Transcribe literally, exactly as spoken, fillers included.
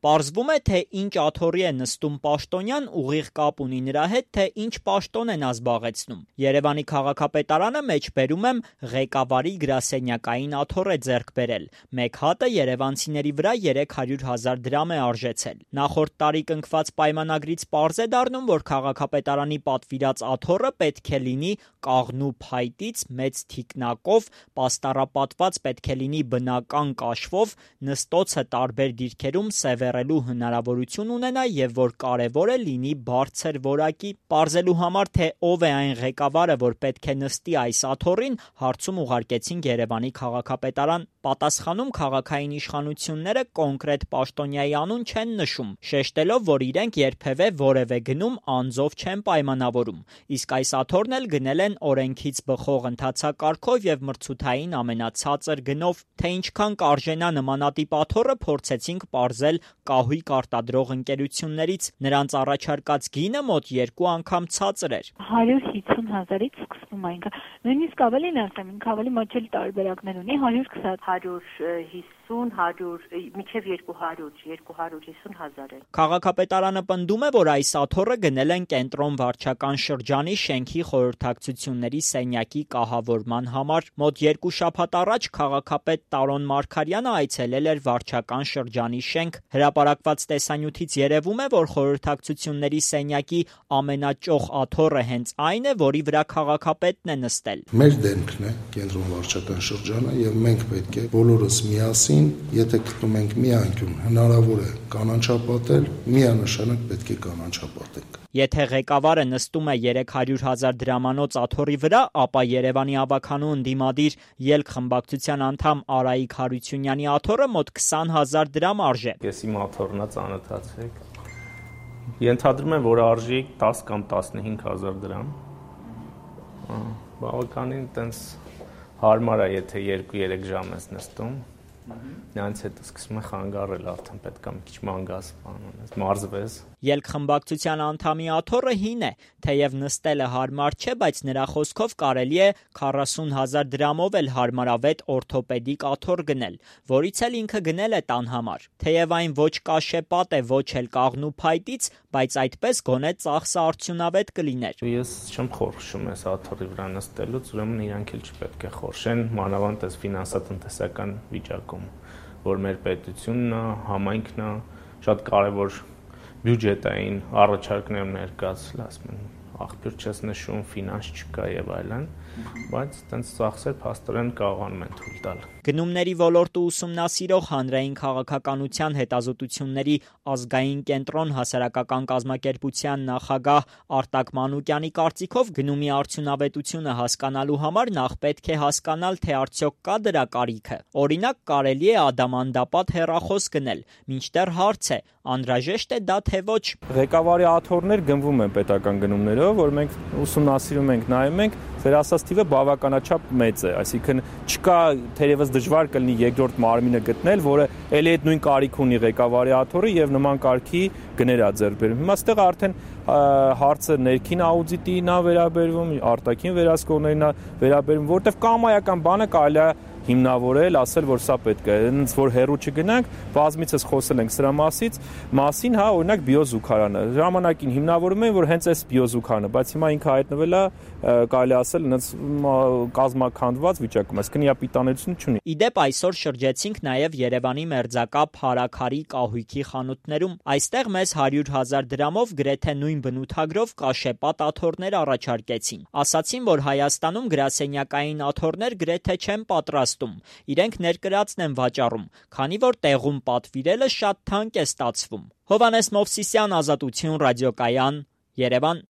Պարզվում է, թե ինչ աթոռի է նստում պաշտոնյան, ուղիղ կապ ունի նրա հետ, թե ինչ պաշտոն է նա զբաղեցնում։ Երևանի քաղաքապետարանը մեջբերում եմ ղեկավարի գրասենյակային աթոռ է ձեռք բերել։ Մեկ հատը երևանցիների վրա երեք հարյուր հազար դրամ է արժեցել։ Նախորդ տարի կնքված պայմանագրից պարզ է դառնում, որ քաղաքապետարանի պատվիրած աթոռը պետք է լինի կաղնու փայտից, մեծ թիկնակով, պաստառապատված պետք է լինի բնական կաշվով, նստոցը տարբեր դիրքերում սևեռելու հնարավորություն ունենա եւ որ կարեւոր է լինի բարձր որակի։ Պարզելու համար, թե ով է այն ղեկավարը, որ պետք է նստի այս աթոռին, հարցում ուղարկեցինք Երևանի քաղաքապետարան։ Պատասխանում քաղաքային իշխանությունները կոնկրետ պաշտոնյայի անուն չեն նշում, շեշտելով, որ իրենք երբևէ որևէ գնում անձով չեն պայմանավորում։ Իսկ այս աթոռն էլ գնել են օրենքից բխող ընթացակարգով եւ մրցութային ամենացածր գնով։ Թե ինչքան կարժենա նմանատիպ աթոռը, փորձեցինք պարզել կահույք արտադրող ընկերություններից։ Նրանց առաջարկած գինը մոտ երկու անգամ ցածր էր։ հարյուր հիսուն հազարից սկսվում է ինքը։ Նույնիսկ ավելին ասեմ, ինքը ավելի մոչել տարբերակներ ունի, հարյուր քսան, հարյուր հիսուն, հարյուր, մինչև երկու հարյուր, երկու հարյուր հիսուն հազար է։ Քաղաքապետարանը պնդում է, որ այս աթոռը գնել են կենտրոն վարչական շրջանի շենքի խորհրդակցությունների սենյակի կահավորման համար։ Մոտ երկու շաբաթ առաջ քաղաքապետ Տարոն Մարգարյանը այցելել էր վարչական շրջանի շենք։ Հրապարակված տեսանյութից երևում է, որ խորհրդակցությունների սենյակի ամենաճոխ աթոռը հենց այն է, որի վրա քաղաքապետն է նստել։ Մեր դեմքն է կենտրոն վարչական շրջանը եւ մենք պետք է բոլորս միասին, եթե գտնում ենք մի անկյուն հնարավոր է կանաչապատել, միանշանակ պետք է կանաչապատենք։ Եթե ղեկավարը նստում է երեք հարյուր հազար դրամանոց աթոռի վրա, ապա Երևանի ավականու ընդդիմադիր ելք խմբակցության անդամ Արայիկ Հարությունյանի աթոռը մոտ քսան հազար դրամ արժե։ Ես իմ աթոռն է ծանոթացեք։ Ենթադրում եմ, որ արժի տաս կամ տասնհինգ հազար դրամ։ Բավականին տենց հարմար է, եթե երկու երեք ժամ ես նստում։ Նրանց հետո սկսում է խանգարել, արդեն պետք է մի քիչ մանգաս բանոնես, մարզվես։ Ելք խմբակցության անդամի աթոռը հին է, թեև նստելը հարմար չէ, բայց նրա խոսքով կարելի է քառասուն հազար դրամով էլ հարմարավետ օրթոպեդիկ աթոռ գնել, որից էլ ինքը գնել է տան համար։ Թեև այն ոչ կաշեպատ է, ոչ էլ կաղնու փայտից, բայց այդպես գոնե ծախսը արդյունավետ կլիներ։ Ես չեմ խորշում այս աթոռի վրա նստելուց, ուրեմն իրանք էլ չպետք է խորշեն, մանավանդ այս ֆինանսատնտեսական վիճակում, որ մեր պետությունն է, համայնքն է, շատ կարևոր բյուջետային առաջարկներ ներկայացրել, ասում են, աղբյուր չես նշում, ֆինանս չկա եւ այլն, բայց այդպես ծախսեր փաստորեն կարողանում են թույլ տալ։ Գնումների ոլորտը ուսումնասիրող հանրային քաղաքականության հետազոտությունների ազգային կենտրոն հասարակական կազմակերպության նախագահ Արտակ Մանուկյանի կարծիքով գնումի արդյունավետությունը հասկանալու համար նախ պետք է հասկանալ, թե արդյոք կա դրա կարիքը։ Օրինակ, կարելի է ադամանդապատ հեռախոս գնել, մինչդեռ հարց է, անհրաժեշտ է դա թե ոչ։ Ղեկավարի աթոռներ գնվում են պետական գնումներով, որ մենք ուսումնասիրում ենք, նայում ենք, ձեր ասած թիվը բավականաչափ մեծ է, այսինքն չկա թերևս դժվար կլինի երկրորդ մարմինը գտնել, որը ելի այդ նույն կարիք ունի ղեկավարի աթոռի եւ նման կարգի գներ է ձեռք բերում։ Հիմա այստեղ արդեն հարցը ներքին աուդիտին է վերաբերվում, արտաքին վերահսկողներին է վերաբերվում, որտեղ կամայական բանը կարելի է հիմնավորել, ասել, որ սա պետք է, հենց որ հեռու չգնանք, բազմիցս խոսել ենք սրա մասից, մասին, հա, օրինակ բիոզուգարանը։ Ժամանակին հիմնավորում են, որ հենց այս բիոզուգարանը, բայց հիմա ինքը հայտնվել է, կարելի ասել, հենց կազմաքանդված վիճակում, այսինքն իապիտանություն չունի։ Իդեպ այսօր շրջեցինք նաև Երևանի մերձակա Փարաքարի կահույքի խանութներում։ Այստեղ մեզ հարյուր հազար դրամով գրեթե նույն բնութագրով կաշեպատ աթոռներ առաջարկեցին։ Ասացին, որ Հայաստանում գրասենյակային աթոռներ գրեթե չեն պատրաստում։ Իրենք ներկրածն են վաճառում, քանի որ տեղում պատվիրելը շատ թանկ է ստացվում։ Հովհաննես Մովսիսյան, Ազատություն ռադիոկայան, Երևան։